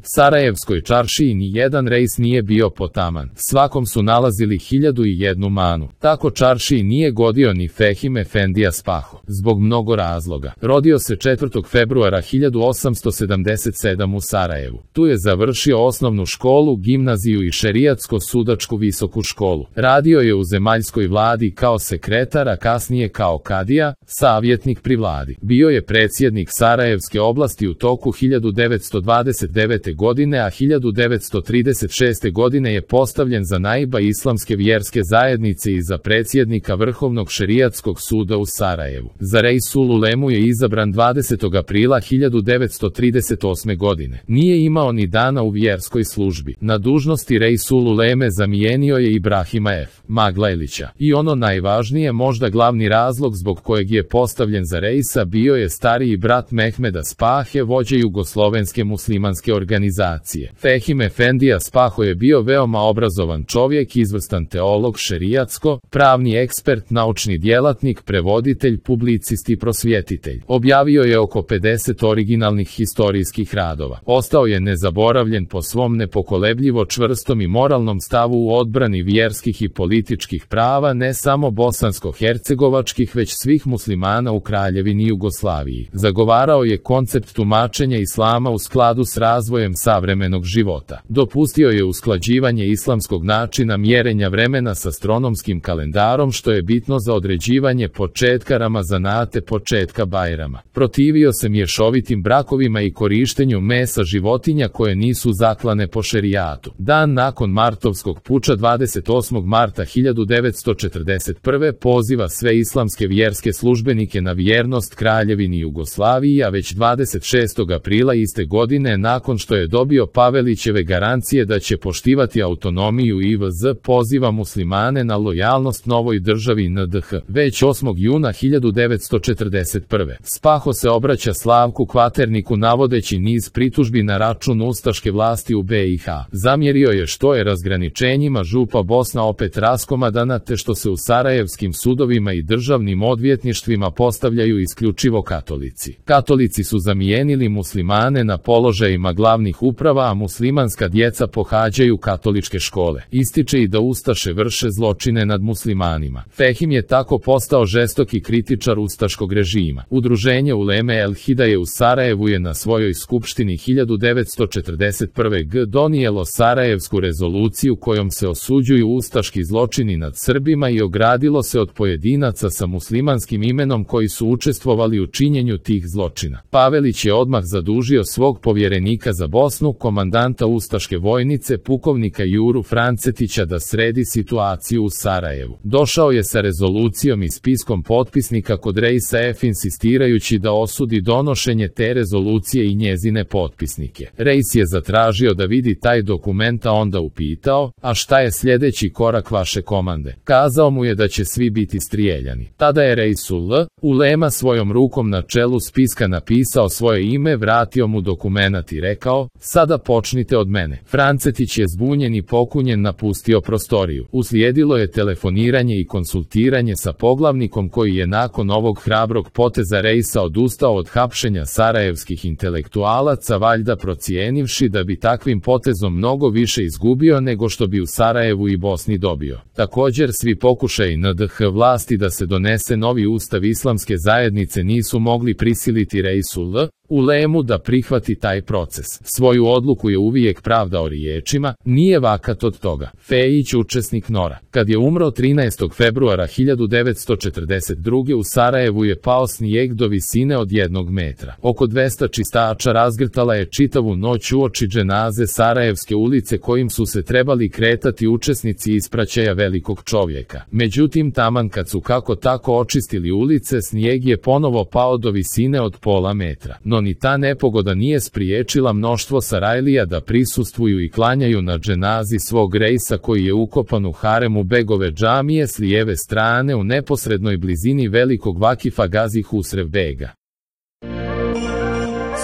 Sarajevskoj čaršiji ni jedan rejs nije bio potaman. Svakom su nalazili 1001 manu. Tako čaršiji nije godio ni Fehim Efendija Spaho. Zbog mnogo razloga. Rodio se 4. februara 1877 u Sarajevu. Tu je završio osnovnu školu, gimnaziju i šerijatsko-sudačku visoku školu. Radio je u zemaljskoj vladi kao sekretar, a kasnije kao kadija, savjetnik pri vladi. Bio je predsjednik Sarajevske oblasti u toku 1929. godine, a 1936. godine je postavljen za naiba islamske vjerske zajednice i za predsjednika Vrhovnog šerijatskog suda u Sarajevu. Za Reisul Ulemu je izabran 20. aprila 1938. godine. Nije imao ni dana u vjerskoj službi. Na dužnosti Reisul Uleme zamijenio je Ibrahima F. Maglajlića. I ono najvažnije, možda glavni razlog zbog kojeg je postavljen za reisa, bio je stariji brat Mehmeda Spahe, vođe jugoslovenske muslimanske organizacije. Fehim Efendija Spaho je bio veoma obrazovan čovjek, izvrstan teolog, šerijatsko, pravni ekspert, naučni djelatnik, prevoditelj, publicist i prosvjetitelj. Objavio je oko 50 originalnih historijskih radova. Ostao je nezaboravljen po svom nepokolebljivo čvrstom i moralnom stavu u odbrani vjerskih i političkih prava ne samo bosansko-hercegovačkih, već svih muslimana u Kraljevini Jugoslaviji. Zagovarao je koncept tumačenja islama u skladu s razvojem savremenog života. Dopustio je usklađivanje islamskog načina mjerenja vremena s astronomskim kalendarom, što je bitno za određivanje početka Ramazanate, početka Bajrama. Protivio se mješovitim brakovima i korištenju mesa životinja koje nisu zaklane po šerijatu. Dan nakon martovskog puča 28. marta 1941. poziva sve islamske vjerske službenike na vjernost Kraljevini Jugoslaviji, a već 26. aprila iste godine, nakon što je dobio Pavelićeve garancije da će poštivati autonomiju IVZ, poziva muslimane na lojalnost novoj državi NDH. Već 8. juna 1941. Spaho se obraća Slavku Kvaterniku navodeći niz pritužbi na račun ustaške vlasti u BiH. Zamjerio je što je razgraničenjima župa Bosna opet raskomadana, te što se u sarajevskim sudovima i državnim odvjetništvima postavljaju isključivo katolici. Katolici su zamijenili muslimane na položajima glavnih uprava, a muslimanska djeca pohađaju katoličke škole. Ističe i da ustaše vrše zločine nad muslimanima. Fehim je tako postao žestoki kritičar ustaškog režima. Udruženje Uleme El Hidaje u Sarajevu je na svojoj skupštini 1941. donijelo Sarajevsku rezoluciju kojom se osuđuju ustaški zločini nad Srbima i ogradilo se od pojedinaca sa muslimanskim imenom koji su učestvovali u činjenju tih zločina. Pavelić je odmah zadužio svog povjerenika za Bosnu, komandanta ustaške vojnice, pukovnika Juru Francetića, da sredi situaciju u Sarajevu. Došao je sa rezolucijom i spiskom potpisnika kod Reisa F, insistirajući da osudi donošenje te rezolucije i njezine potpisnike. Reis je zatražio da vidi taj dokument, a onda upitao: a šta je sljedeći korak vaše komande? Kazao mu je da će svi biti strijeljani. Tada je Reisul Ulema svojom rukom na čelu spiska napisao svoje ime, vratio mu dokumenat i rekao: sada počnite od mene. Francetić je zbunjen i pokunjen napustio prostoriju. Uslijedilo je telefoniranje i konsultiranje sa poglavnikom, koji je nakon ovog hrabrog poteza Reisa odustao od hapšenja sarajevskih intelektualaca, valjda procijenivši da bi takvim potezom mnogo više izgubio nego što bi u Sarajevu i Bosni dobio. Također, svi pokušaji NDH vlasti da se donese novi ustav islamske zajednice nisu mogli prisiliti Reisul Ulemu da prihvati taj proces. Svoju odluku je uvijek pravdao riječima: nije vakat od toga. Fejić, učesnik NOR-a. Kad je umro 13. februara 1942. u Sarajevu je pao snijeg do visine od 1 metra. Oko 200 čistača razgrtala je čitavu noć uoči dženaze Sarajevske ulice kojim su se trebali kretati učesnici ispraćaja velikog čovjeka. Međutim, taman kad su kako tako očistili ulice, snijeg je ponovo pao do visine od pola metra. No ni ta nepogoda nije spriječila mnoštvo Sarajlija da prisustvuju i klanjaju na dženazi svog Reisa, koji je ukopan u haremu Begove džamije s lijeve strane u neposrednoj blizini velikog vakifa Gazi Husrev Bega.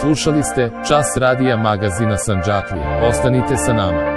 Slušali ste Čas radija magazina Sandžaklija. Ostanite sa nama.